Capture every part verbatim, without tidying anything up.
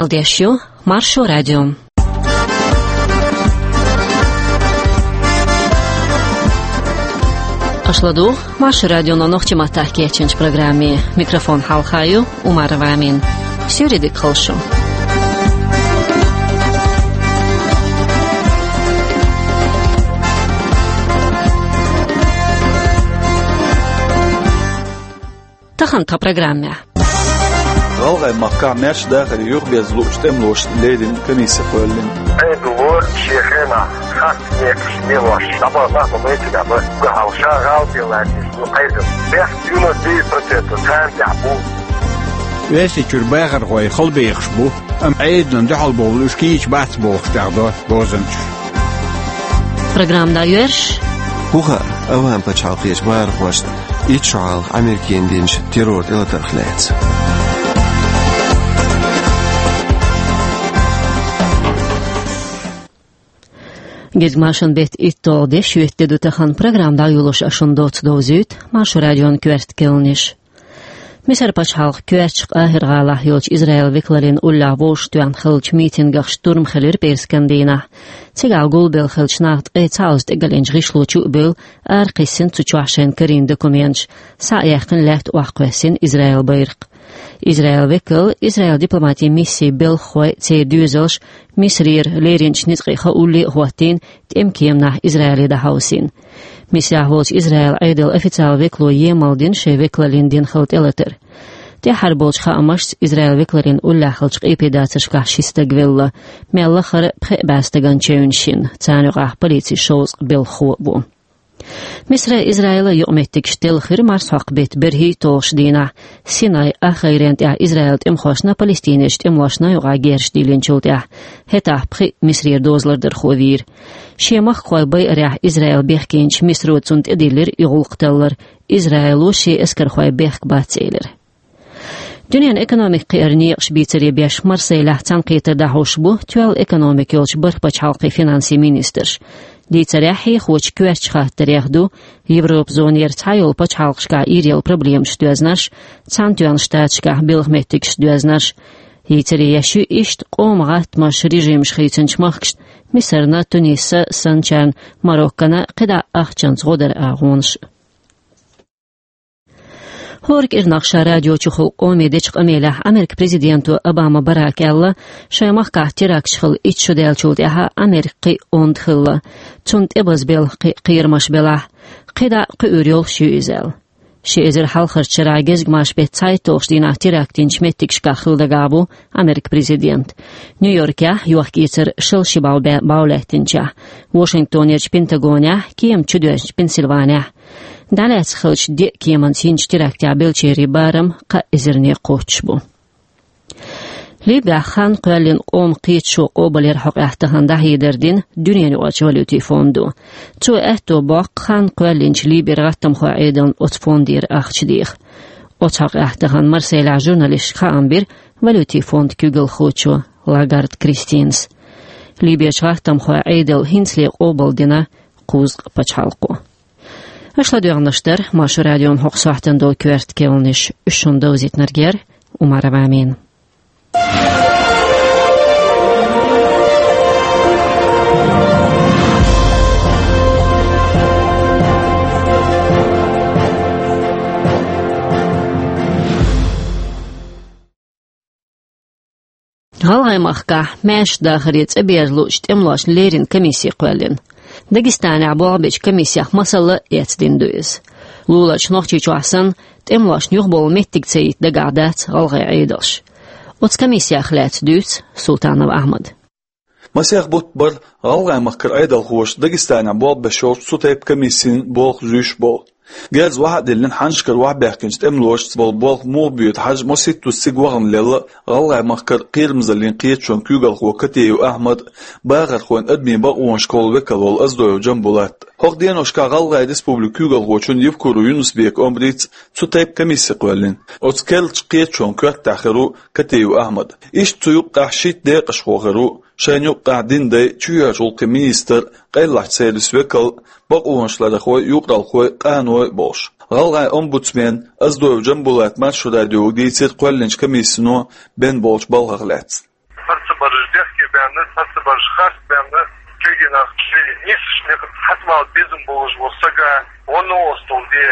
Ладеш ю Маршо радио. Аша ладугӀу Маршо радионо нохчийн маттахь кечйинчу программе. Микрофон хьалха ю Умарова Амина. Суьйре дика хуьлда шу. Тахана тхан программехь. ГӀалгӀай махкахь маьрша дахаре юхаберза луучу тӀемалошна леррина комисси кхоьллина. Ӏедало шен хенахь харц некъаш лелош дӀабахана нах ма байтина бан, уггар хьалха ша гӀала бен лаьтташ ду Ӏедал. Бехк девяносто девять процентов царна тӀехь бу. Оьрсийчуьра бахархой халабехаш бу, амма Ӏедална дуьхьал бовла уьш кийча бац бохуш тӀехдо бозанчаш. Программа дӀайоьрзуш. ХӀун хаьа Ӏавам пачхьалкхерчу бахархошна итт шо хьалха Америкина динчу террор тӀелатарх лаьцна? Гезгмашин беттан итталгӀа де, шоьтан де ду тахана. Программа дӀайолош ас шуна доцца довзуьйту Маршо радион коьрта керланаш. Мисар пачхьалкхан коьртачу КъахӀир-гӀалахь йолчу Израилан векаллин уллехь вовшахтоьхна хиллачу митингах штурм хилира пӀераскан дийнахь. Цигахь гулбелла хиллачу наха ткъе цхьаъ оза тӀегалъяьллачу гӀишло чу а бевлла, аракхиссина цу чохь шайна карийна документаш, схьа а яьккхина лаьтта охьакхоьссина Израилан байракх. Израилан векал, Израилан дипломатин миссин белхахой, церан доьзалш Мисарера леринчу ницкъийн хаамашна а хӀоттийна, тӀеман кеманахь Израиле дӀахьовсийна. Мисарехь волчу Израилан Ӏедалан официалан векало емал дина шайн векаллин дина хилла тӀелатар. ТӀаьххьара болчу хаамашца, Израилан векаллин уллехь хиллачу къепедацаршкахь ши стаг велла, мел лахара пхеа бӀе стагана чевнаш йина, царна юкъахь полицин шовзткъа белхахо а ву. Мисаран, Израилан юкъаметтигаш телхира марсхьокху беттан берхӀитталгӀачу дийнахь, Синай ахгӀайрен тӀехь Израилан тӀемахошна палестинерчу тӀемалошна юкъахь герзаш дийлинчул тӀаьхьа. ХӀетахь пхиъ Мисарера дозалардархо вийра. Шен махкахой байарехь Израил бехкийначу Мисаро цунна тӀедиллира и гӀуллакх таллар, Израило шен эскархой бехк бац элира. Дуьненан экономика кхиаран некъаш бийцаре беш Марселехь цхьаьнакхетар дӀахьош бу тоьлла экономика йолчу бархӀ пачхьалкхийн финансийн министраш. Дийцарехь хьехочу коьртачу хаттарех ду Европан зонера цхьайолу пачхьалкхашкахь ийрелла проблемаш доьзнарш, Цхьаьнатоьхначу Штаташкахь белхан меттигаш доьзнарш. Йийцаре еш ю иштта къоман гӀаттамаш, режимаш хийцинчу махкашна, Мисарна, Туниса санначарна, Мароккана, кхидӀа ахчанца гӀо дара агӀонаш. ХӀора кӀирнах ша радио чухула къоме дечу къамелехь Американ президенто Обама Барака аьлла, шайн махкахь теракташ хилла итт шо даьллачул тӀаьхьа Америка кхин а онда хилла. Цунна тӀебазбелла кхин а кхерамаш белахь, кхидӀа а кхуьур йолуш ю иза аьлла. Ши эзар хьалхарчу шарахь гезгмашин беттан цхьайтталгӀачу дийнахь теракт йинчу меттигашкахь хила дагахь бу Американ президент. Нью-Йоркехь йохка-эцар шала ши бӀов бе-, бӀов лаьттинчохь, Вашингтонерчу Пентагонехь, кема чудоьжначу Пенсильванехь. ДӀалаьцна хиллачу деа кеманца йинчу терактехь беллачеран барам кхаа эзарне кхоччуш бу. Ливехь хан кхоьллина къоман кхеташо къобалъяран хьокъехь тахана дӀахьедар дина Дуьненаюкъарчу валютин фондо. Цо аьтто боккху хан кхоьллинчу Ливера гӀаттамхойн Ӏедална оцу фондера ахча деха. Оцу хьокъехь тахана Марселехь журналисташка хаам бира валютин фондан куьйгалхочо Лагард Кристинас. Ливерчу гӀаттамхойн Ӏедална хӀинцале къобалдина кхузткъа пачхьалкхо. Аша ладоьгӀнарш дара Маршо радион хӀокху сохьтана долу коьрта керланаш, уьш шуна довзийтинарг яра Умарова Амина. ГӀалгӀай махкахь маьрша дахаре цӀа берза луучу тӀемалошна леррина комисси кхоьллина. Дагестанехь болх бечу комиссех масала а эцна дина ду иза. Луларчу Нохчийчохь санна, тӀемалошна юхабовла меттиг ца йита дагахь дац гӀалгӀай Ӏедалш. Оцу комиссех лаьцна дуьйцу Султанов Ахьмада. Масех бутт бара гӀалгӀай махкара Ӏедалхоша Дагестанехь болх беш йолчу цу тайпа комиссин болх зуьйш болу. Герз охьа а диллина, хьаннашкара охьабаьхкинчу тӀемалошца болу болх муха боьду хьажа, маситтаза цига вахана лелла гӀалгӀай махкара кхерамзаллин кхеташонан куьйгалхо Катеев Ахьмад а, бахархойн адамийн бакъонашкахула векал волу Оздоев Джамбулат а. ХӀокху деношкахь ГӀалгӀай Республикан куьйгалхочун Евкуров Юнусбекан омрица цу тайпа комисси кхоьллина. Оцу керлачу кхеташонан коьртехь хир ву Катеев Ахьмад. Иштта цу юккъехь шийтта декъашхо хир ву, шайна юккъехь динан дай, чоьхьарчу гӀуллакхийн министр, къайлахчу сервисан векал, бакъонаш ларъярхой, юкъаралхой, къаной а болуш. ГӀалгӀайн омбудсмен Оздоев Джамбулата Маршо радиога дийцира кхоьллинчу комиссино бен болчу балхах лаьцна. Бараш дехке баьнна, цхьацца бараш харц баьнна, кегий нах шоай нийсача наькъаца хьатӀабала безам болаш вола саг гӀо новкъостал де,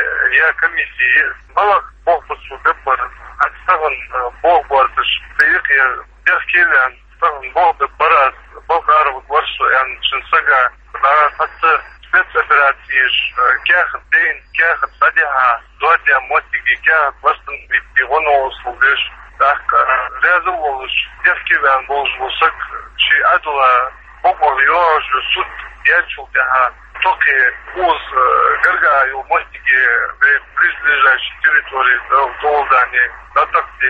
е комисси, е балха болх ба цо бергбар. ХӀаьта тахан, э, болх боацаш, тӀаийккха, е дехке ваьнна, тахан болх бергбар аз, балха ара варгвар со аьнна шин саг, дӀа цхьацца спецоперацеш, э, каьхат дайна, каьхат дӀадихьа, доадаь моттиге каьхат восстановить де, гӀо новкъостал деш, тӀаккха, э, раьза волаш, дехке ваьнна волаш вола саг ший Ӏаьдала бокъонца йоагӀаш йола суд яьчул тӀехьагӀа тохе укхаза, э, гаргара йола моттиге, вай близлежащей территории, да, Долдане, да, так де,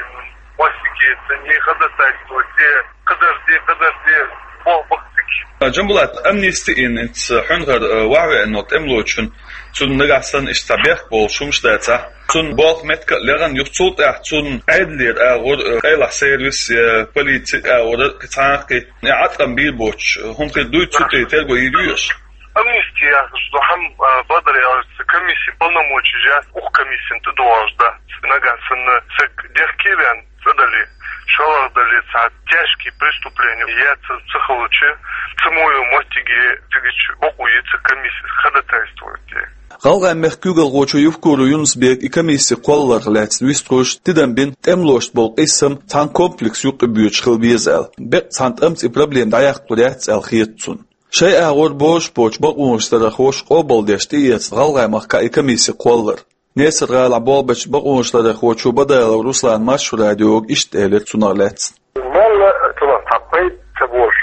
моттиге, цунна ходатайство де, кхыдар де, кхыдар де, болх ба цига. Джамбулат, амнисти инец хьунхар, э, вахве аннот эмлочун, цун нагахь санна иштта бехк болаш хӀумаш дацахь, цун болх меттиг а легӀан юха цул тӀехьа цун Ӏедалера агӀор, э, къайлагӀа сервис, э, полици агӀор, э, цхьанхьи, э, Ӏаткъам бийр боцуш, э, хӀума хир дуй, цу тӀе терго йийр юй уж? Амнисти яхаш ду хӀама, а, бадар яхаш, цу комисси полномочеш яц укх комиссина тӀадоагӀаш да. Нагахь санна саг дехке ваьнна, цӀа дале, шоллагӀа дале, цхьа тяжкий преступлени яьца ца хилча, цу мо йолча моттиге цигача бокъо я цу комиссис ходатайство де. ГӀалгӀай мехка куьйгалхочо Евкуров Юнус-Бека и комисси кхолларах лаьцна вистхуьлуш тидам бина, тӀемалошца бола къийсам цхьана комплекса юкъе боьдуш хила беза аьлла. Бакъ цхьана тӀамца и проблема дӀаяккхалур яц аьлла хета цунна. Шоай агӀор божаш боцчу бакъонашларъярхоша къобалдеш тӀеэцна ГӀалгӀай махкахь и комисси кхоллар. Несар-ГӀалахь болх бечу бакъонашларъярхочо Бадалов Руслана Маршо радиога иштта элира цунах лаьцна. Мелла а цунах цхьа пайда ца болуш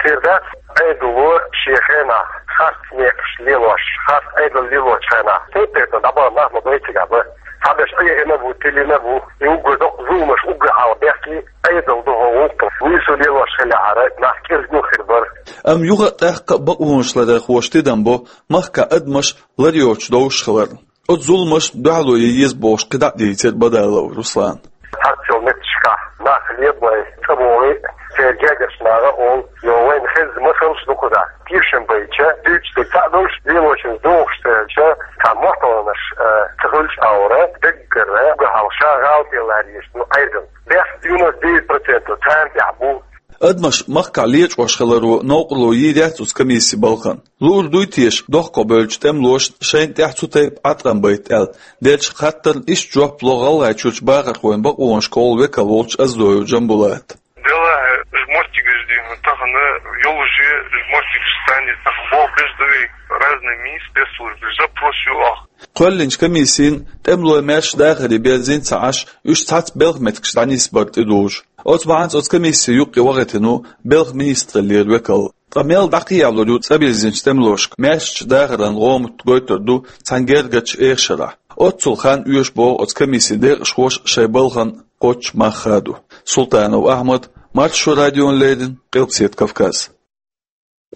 хир дац, Ӏедало шен хенахь харц некъаш лелош, харц Ӏедал лелочу хенахь, тайп-тайпана дӀабаха нах ма бай цигахь бан. Цхьаберш Ӏехийна а бу, тилийна а бу, и уггар доккха зуламаш уггар хьалха бехке, Ӏедал ду хӀокху гӀуллакх. Нийсо лелош хиллехьара, нах кӀезиг хир бара. Амма юха а тӀаккха а бакъонашларъярхоша тидам бо махкахь адамаш лар йоцуш довш хилар. Оцу зуламашна дуьхьало ян еза бохуш кхидӀа а дийцира Бадалов Руслана. Цхьацца йолу меттигашкахь нах лебой, цӀа богӀий, церан гергарчу наха олу, йо, вайна хезна масалш ду кхузахь. Тешам байча, дуьйцуш дерг цхьаъ долуш, лелочуьнца догӀуш ца хилча, цхьа мохь тӀе ланаш, а, ца хилча а, даггара уггар хьалха ша гӀала тӀе ларъеш ду Ӏедал. Бехк девяносто девять процентов царна тӀехь бу. Адамаш махкахь лечкъош хиларо новкъарло йийр яц оцу комиссин балхана. Луур дуй теша дохковевллачу тӀемалошна шайна тӀехь цу тайпа Ӏаткъам байта аьлла деллачу хаттарна иштта жоп ло ГӀалгӀайчуьрчу бахархойн бакъонаш кхоллу векал волчу Оздоев Джамбулата. Делахь, уьш моттигаш дийна тахана, йолуш я уьш моттигаш санна, тахана болх беш ду вай, разные министерства, запрос ю ахь. Кхоьллинчу комиссина тӀемалойн маьрша дахаре берзийна ца Ӏаш, уьш цхьацца белхан меттигаш дӀанисбар тӀедужу. Оцу бахьанца оцу комиссин юккъе вахийтина ву белхан министраллера векал. Ткъа мел дӀакхехьалур ю цӀа бирзинчу тӀемалошка маьршачу дахаран гӀомат гойтур ду цхьана гергарчу эха шарахь. Оццул хан оьшу боху оцу комиссин декъашхоша шайн балхана кхоччуш мах хадо. Султанов Ахьмад, Маршо радиона леррина, Къилбаседа Кавказ.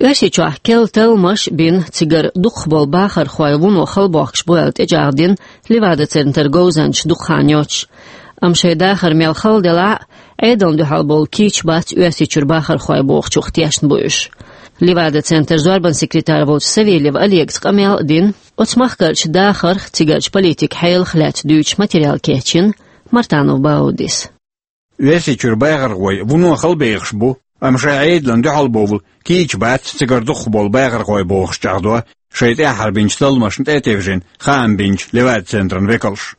Оьрсийчохь керла талламаш бина, цигара дукхахболу бахархой вуно халабохкуш бу аьлла тӀечӀагӀдина Левада-центран говзанчаш дукха хан йоцуш. Амма шайн дахар мел хала делахь а, Ӏедална дуьхьал болу кийча бац Оьрсийчуьра бахархой бохучух тешна бу уьш. Левада-центран зорбанан секретарь волчу Савельев Олегаца къамел а дина, оцу махкарчу дахарх, цигарчу политикан хьелах лаьцна дуьйцуш материал кечйина Мартанов Баудис. Оьрсийчуьра бахархой вуно халабехаш бу, амма шайн Ӏедална дуьхьал бовла кийча бац цигара дукхахболу бахархой бохуш чӀагӀдо шайн тӀаьххьара бинчу талламашна тӀе а тевжина хаам бинчу Левада-центран векалш.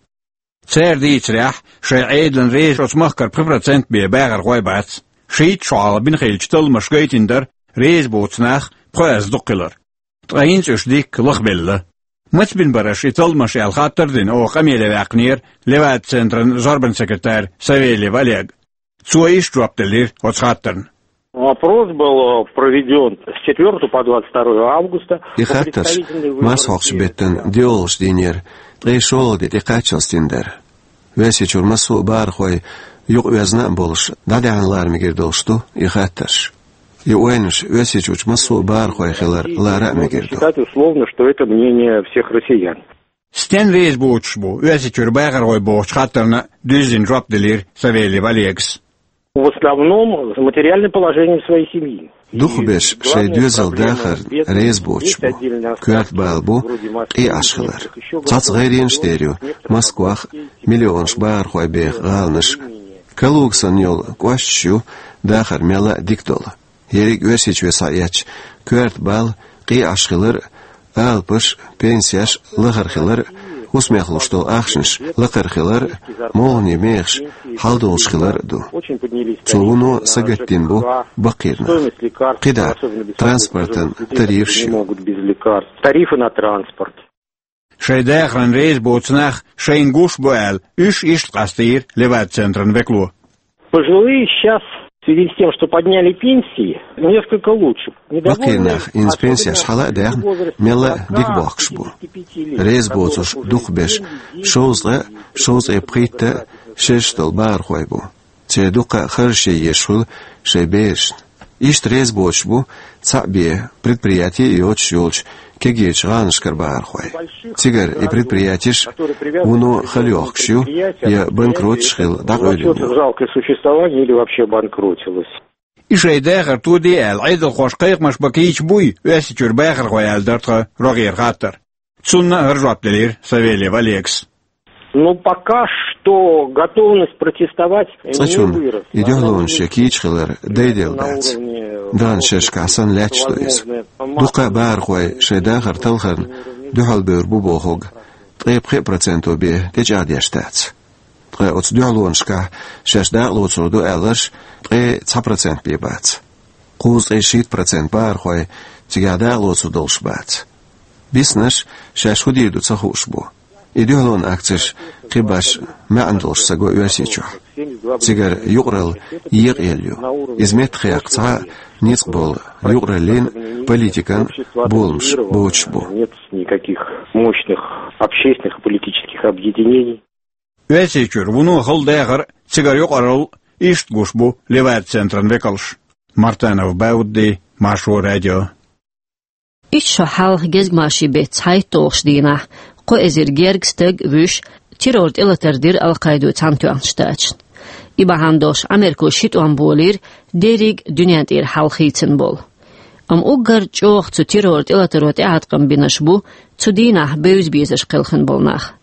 Цара дийцарехь, шайн Ӏедална реза оцу махкара пхи процент бен бахархой бац. Шийтта шо хьалха бина хиллачу талламаша гайтина дара реза боцу нах пхоьазза дукха хилар. Ткъа хӀинца уьш дикка лахбелла. Маца бина бара аша и талламаш аьлла хаттар а дина, оха къамеле ваьккхинера Левада-центран зорбанан секретарь Савельев Олега. Цо иштта жоп делира оцу хаттарна. Опрос был, э, проведён с четвёртого по двадцать второе августа. И хаттарш марсхьокху беттан доьалгӀачу дийнера ткъе шолгӀа де тӀекхаччалц дина дара. Оьрсийчуьра массо а бахархой юкъаоьзна а болуш, дӀадаьхьна лара мегар долуш ду и хаттарш. И ойланаш Оьрсийчуьрчу массо а бахархойн хилар лара а мегар ду. Считать условно, что это мнение всех россиян. Стенна реза боцуш бу Оьрсийчуьра бахархой бохучу хаттарна дуьззина жоп делира Савельев Олегас. В основном с материальным положением своей семьи. Дукхахберш шайн доьзалан дахарна реза боцуш бу. Коьрта бала бу къен Ӏаш хилар. Цхьацца гӀайренаш дер ю Москвахь миллионаш бахархой беха гӀаланаш. Калуга санна йолу кӀошташ ю дахар мелла а дика долу. Ерриг а Оьрсийчоь схьаэцча, коьрта бала, къийсаш хилар а, алапаш а, пенсеш а лахара хилар а, хӀусамехь луш долу ахчанаш лакхара хилар а, молханийн мехаш хьалдолуш хилар а ду. Цо вуно сагатдина бу баккхийрнах. КхидӀа транспортан тарифаш ю. Тарифы на транспорт. Шайн дахаран реза боцу нах шайна гуш бу аьлла, уьш иштта къастийра Левада-центран векало. Пожилые сейчас, в связи с тем, что подняли пенсии, несколько лучше. Баккхийрнах инза пенсеш хьала а даьхна, мелла а дика бохкуш бу. Реза боцурш дукхахберш шовзткъа а, шовзткъе пхийтта а шераш долу бахархой бу. Церан дуккха а харжаш ян езаш хуьлу шайн берашна. Иштта реза боцуш бу цхьаъ бен предприяти а йоцуш йолчу кегийчу гӀаланашкара бахархой. Цигара и предприятеш вуно хала йохкуш ю я банкроташ хилла дӀакъевлина ю. Жалкое существование или вообще обанкротилось. И шайн дахар тоде аьлла, Ӏедалхоша кхайкхамаш бан кийча буй Оьрсийчуьра бахархой аьлла дара тхан рогӀера хаттар. Цунна а хӀара жоп делира Савельев Олегас. Ну, пока что готовность протестовать не выросла. Цкъачунна и дуьхьалонаш ян кийча хилар дайделла дац. Даханчу шерашкахь санна лаьтташ ду иза. Дуккха а бахархой шайн дахар талхарна дуьхьалбевр бу бохург ткъе пхи проценто бен тӀечӀагӀдеш дац. Ткъа оцу дуьхьалонашкахь шаьш дакъалоцур ду аьлларш ткъе цхьа процент бен бац. Кхузткъе шийтта процент бахархой цигахь дакъалоцур долуш бац. Биснарш шаьш хӀун дийр ду ца хууш бу. И дуьхьалонан акцеш кхин башха маьӀна долуш ца го Оьрсийчохь. Цигара юкъаралла екъаелла ю. Иза меттахъекхна цхьа а ницкъ болу юкъараллин а, политикан а боламаш боцуш бу. Нет никаких мощных общественных и политических объединений. Оьрсийчуьра вуно хала дахар а, цигара юкъаралла а иштта гуш бу Левада-центран векалш. Мартанов Баудди, Маршо радио. Итт шо хьалха гезгмашин беттан цхьайтталгӀачу дийнахь, кхо эзар гергга стаг а вуьйш, террор тӀелатар дира Ал-Къаидо Цхьаьнатоьхначу Штаташна. И бахьана долуш Ӏамеркахо ши тӀом болийра дерриг а дуьнен тӀера хьал хийцина болу. Амма уггар чӀогӀа цу террор тӀелатаро тӀеӀаткъам бинарш бу цу дийнахь бевза безаш кхелхина болу нах.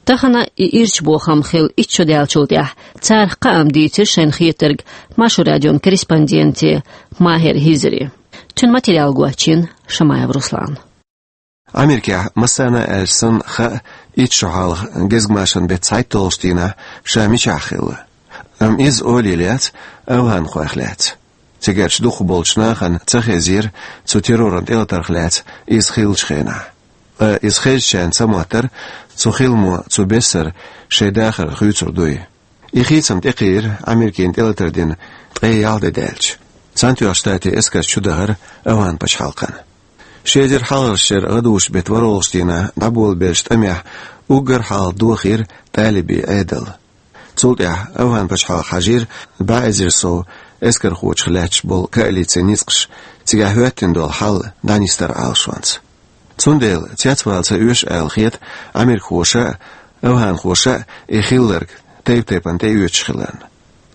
Тахана и ирча бохам хилла итт шо даьллачул тӀаьхьа царах кхаам дийцира шайна хетарг Маршо радион корреспонденте Махер Хизаре. Цуьнан материал гочйина Шамаев Руслана. Америкехь массарна а аьлча санна хаьа итт шо хьалха гезгмашин беттан цхьайтталгӀачу дийнахь ша мичахь хилла. Амма иза олийла яц афганхойх лаьцна. Цигарчу дукхахболчу нахана ца хезира цу терроран тӀелатарх лаьцна иза хиллачу хенахь. Ткъа иза хезчарна ца моттара цу хиламо цу бессара шайн дахар хуьйцур дуй. И хийцам тӀекхийра Америкина тӀелатар дина ткъе ялх де даьлча. Цхьаьнатоьхначу Штатийн эскарш чудахара афган пачхьалкхана. Ши эзар хьалхарчу шеран гӀадужу беттан ворхӀалгӀачу дийнахь дӀаболабеллачу тӀамехь уггар хьалха дохийра талибийн Ӏедал. Цул тӀаьхьа афган пачхьалкхо хьажийра бӀе эзар сов эскархочух лаьтташ болу коалицин ницкъаш, цигахь хӀоьттина долу хьал дӀанисдар Ӏалашонца. Цундела цецвала ца оьшу аьлла хета америкахоша а, афганхоша а и хилларг тайп-тайпана тӀеоьцуш хиларна.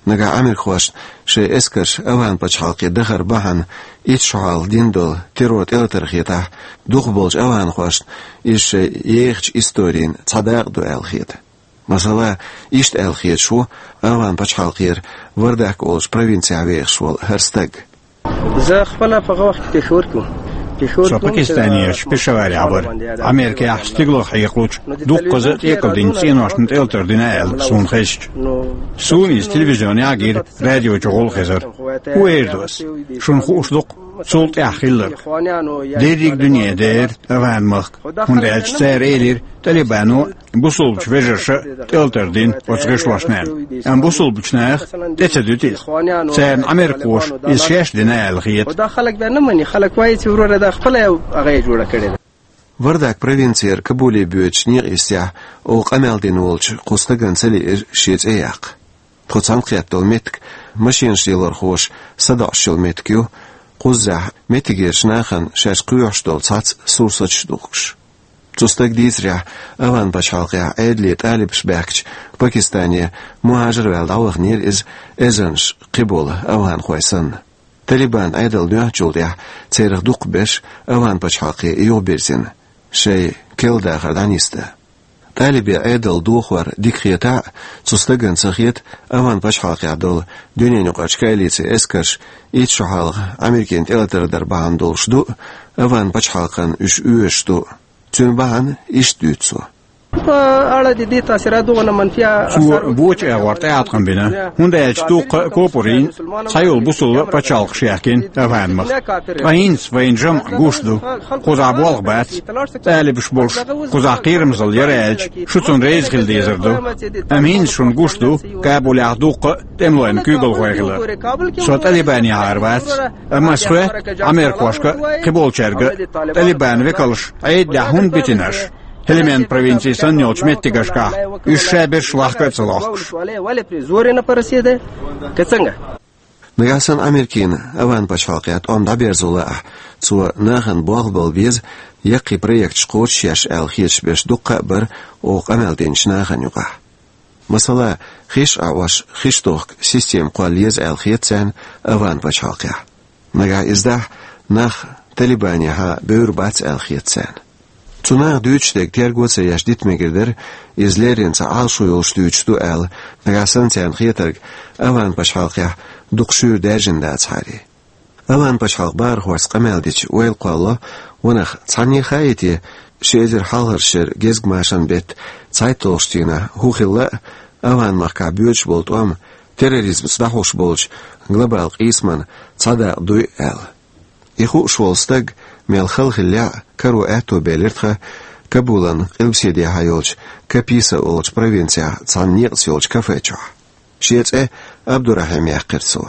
Нагахь америкахошна шайн эскарш афган пачхьалкхе дахар бахьана итт шо хьалха дина долу террор тӀелатар хетахь, дукхахболчу афганхошна иза шайн ехачу историна цхьа дакъа ду аьлла хета. Масала, иштта аьлла хеташ ву афган пачхьалкхера Вардак олучу провинцехь вехаш волу хӀара стаг. زه خپله په هغه وخت کې پېښور کې وم. پېښور Со Пакистанехь Пешаварехь вара. Америкехь стигалах хьекхалучу дуккхаза а тӀекӀалдинчу цӀеношна тӀелатар дина аьлла суна хезча. Суна иза телевизионехь а гира, радио чу гӀуллакх хезара. ХӀун эр ду ас? Шуна хууш ду-кх цул тӀаьхьа хилларг. Дерриг дуьне дера афган-махка, хӀунда аьлча цара элира, талибано бусулбачу вежарша тӀелатар дина оцу гӀишлошна аьлла. Амма бусулбачу наха тӀе ца дуьту иза. Царна америкахоша иза шаьш дина аьлла хета. خو دا خلک بیا نه مني. خلک وایي چې وروره دا خپله یو هغه یې جوړه کړې ده. Вардак провинцера Кабуле боьдучу некъа йистехь оха къамел дина волчу кху стагана ца лиира шен цӀе яккха. Тхо цхьаьнакхетта долу меттиг машинаш лелорхоша садоӀуш йолу меттиг ю, кхузахь меттигерчу нахана шаьш кхоьхьуш долу цхьацца сурсаташ духкуш. Цу стага дийцарехь, афган пачхьалкхехь Ӏедале талибаш баьхкича Пакистане мухӀажар ваьлла дӀаваханера иза, эзарнаш кхиболу афганхой санна. Талибан Ӏедал доьхначул тӀаьхьа церах дукхахберш афган пачхьалкхе юхабирзина, шайн керла дахар дӀанисдан. ТӀалибийн Ӏедал дохор дика хетахь а, цу стагана ца хета, Афган пачхьалкхехь долу дуьненаюкъарчу коалицин эскарш итт шо хьалха Америкина тӀелатар дар бахьана долуш ду а, Афган пачхьалкхана уьш оьшуш ду а. Цуьнан бахьана иштта дуьйцу цо. Цо бочу агӀор тӀеӀаткъам бина, хӀунда аьлча дуккха а копурийн цхьайолу бусулба пачхьалкхаш яьккхина Афган-махка. Ткъа хӀинца вайна жамӀ гуш ду, кхузахь болх бац, тӀалибаш болуш, кхузахь кхерамзалла яра аьлча, шу цунна реза хила дезар ду. Амма хӀинца шуна гуш ду Кабулехь дуккха а тӀемалойн куьйгалхой хилар. Со ТӀалибанехьара вац, амма ас хоьтту Ӏамеркошка а, кхиболчаьрга а, ТӀалибан векалш Ӏедалехь хӀунда битина аша, Хельманд провинци санна йолчу меттигашкахь, уьш шаберш лахка а ца лохкуш. Нагахь санна Америкина Афган пачхьалкхехь тӀом дӀаберзо лаахь, цо нахана болх бала беза, яккхий проекташ кхочушъеш аьлла хеташ берш дуккха а бара оха къамел динчу нахана юкъахь. Масала, хиш Ӏа Ӏош, хиш тохка система кхолла еза аьлла хета царна Афган пачхьалкхехь. Нагахь иза дахь, нах ТӀалибанехьа бевр бац аьлла хета царна. Цу наха дуьйцуш дерг терго а ца еш дита мегар дара, иза леррина цхьа Ӏалашо йолуш дуьйцуш ду аьлла, нагахь санна царна хетарг Афган пачхьалкхехь дукха шуьйра даьржина дацахьара. Афган пачхьалкхан бахархошца къамел дича ойла кхоллало, ванах цхьанне а хаий те, ши эзар хьалхарчу шеран гезгмашан беттан цхьайтталгӀачу дийнахь хӀун хилла а, Афган-махкахь боьдуш болу тӀом терроризмца дӀахьош болчу глобалан къийсаман цхьа дакъа дуй а аьлла. И хууш волу стаг, мел хала хиллехь а, каро аьтто белира тхан Кабулан къилбаседехьа йолчу Каписа олучу провинцехь цхьана некъаца йолчу кафе чохь. Шен цӀе Абдурахьим яьккхира цо.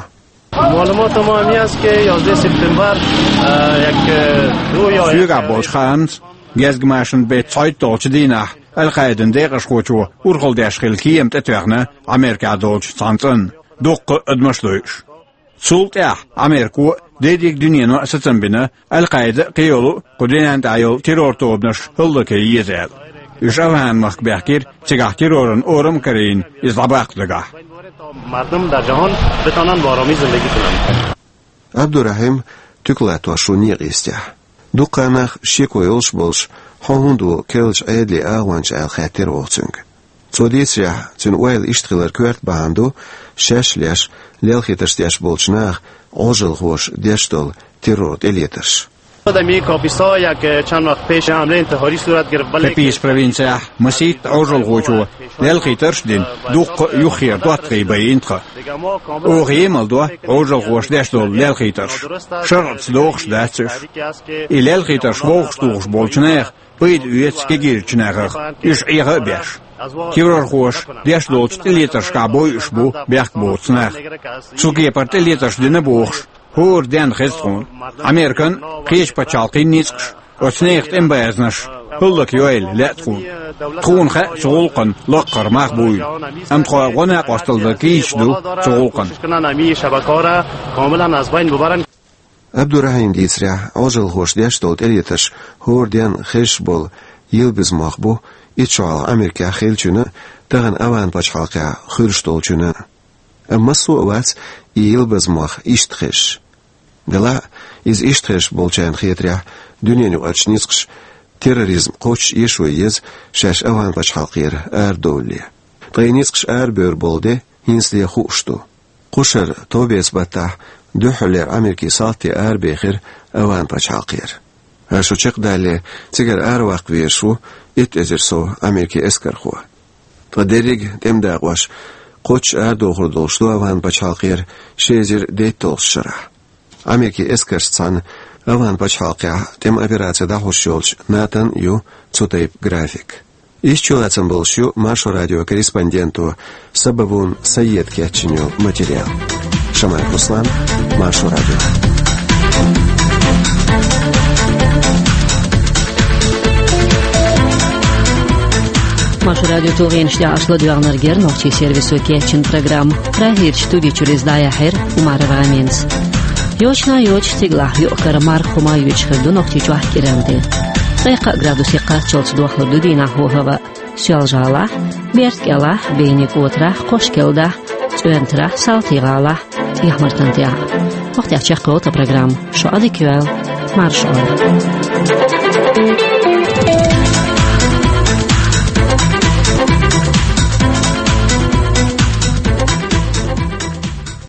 Малумот ма ам яст ки ёздаҳ септембар, э, як, э, ду ё... Соьгахь болчу хаамца, гезгмашан беттан цхьайтталгӀачу дийнахь Аль-Къаидан декъашхочо урхалла деш хилла кема тӀетоьхна Америкехь долчу цхьана цӀанна, дуккха а адамаш дойуш. Цул тӀаьхьа Америко а, дерриг дуьнено а сацам бина Аль-Къаида а, кхийолу а кху дуьнен тӀехь йолу террор-тобанаш хӀаллакъян еза аьлла. Уьш Афган-махка баьхкира, цигахь терроран орам а карийна, иза дӀабаккха дагахь. Мардум дар ҷаҳон битонан бо оромӣ зиндагӣ кунанд. Абдурахьим туька латтош ву некъан йистехь. Дуккха а нах шеко йолуш болуш, хьо хӀунда ву керлачу Ӏедалан агӀонча аьлла хаьттира оха цуьнга. Цо дийцарехь, цуьнан ойла иштта хилар коьрта бахьана ду, шаьш а леш, лелхийтарш деш болчу наха Ӏожалхоша деш долу террор тӀелетарш. Дар ин Каписа як чанд вақт пеш ҳамлаи интиҳорӣ сурат гирифт, бале... Каписа провинцехь масийтта Ӏожалхочо лелхийтарш а дина, дуккха а юххера доттагӀий байина тхан. Оха емал до Ӏожалхоша деш долу лелхийтарш. ШарӀаца догӀуш дац уьш. И лелхийтарш вовшахтухуш болчу нехан пайда оьцу кегийрачу нахах, уьш Ӏеха а беш. Террорхоша деш долчу тӀелетаршкахь бойуш бу бехк боцу нах. Цу кепара тӀелетарш дина бохуш, хӀора денна хеза тхуна. Американ а, кхечу пачхьалкхийн ницкъаш а оцу нехан тӀеман баьзнаш хӀаллакъяйла лаьа тхуна. Тхуна хаьа цу гӀуллакхан лаккхара мах буйла. Амма тхо гӀо-накъосталла дан кийча ду цу гӀуллакхана. Абдурахьим дийцарехь, Ӏожалхоша деш долу тӀелетарш хӀора денна хезаш болу Йилбазмох бу, итт шо хьалха Америкехь хиллачунна а, тахана Афган пачхьалкхехь хуьлуш долчунна а. Амма массо а вац и Йилбазмох иштта хезаш. Делахь а, иза иштта хезаш болчарна хетарехь, дуьненаюкъарчу ницкъаша терроризм кхоччуш эшо еза шаьш Афган пачхьалкхера арадовлале. Ткъа и ницкъаш арабевр болу де хӀинцале хууш ду. Кху шаран товбеца баттахь дуьххьарлера Америкин салти арабехира Афган пачхьалкхера. ХӀара шо чекхдалале, цигара араваккха везаш ву итт эзар сов Америкин эскархо. Ткъа дерриг а тӀеман дакъош кхоччуш арадохур долуш ду Афган пачхьалкхера ши эзар дейтталгӀачу шарахь. Америкин эскаршца цхьаьна Афган пачхьалкхехь тӀеман операци дӀахьош йолчу НАТО-н ю цу тайпа график. Иштта чулацам болуш ю Маршо радион корреспонденто Сабавун Саида кечйина йолу материал. Шамаев Руслан, Маршо радио. Маршо радион тулгӀенаш тӀехь аша ладоьгӀнарг яра нохчийн сервисо кечйина программа. Прагерчу студи чуьра иза дӀаяьхьира Умарова Аминас. Йочана йоцуш стигалахь юкъ-кара марха хӀума а юьйцуш хир ду Нохчийчохь кӀиранде. Ткъе кхаа градусе кхаччалц дохлур ду дийнахь хӀаваъ. Соьлжа-ГӀалахь, Берда-КӀелахь, Бени-КӀотарахь, Кхошкелдахь, ЦӀоьнтарахь, Салти-ГӀалахь, ТӀехьа-Мартан тӀехь. ХӀокху тӀехь чекхйолу тхан программа. Шу Ӏадика йойла, марша Ӏойла.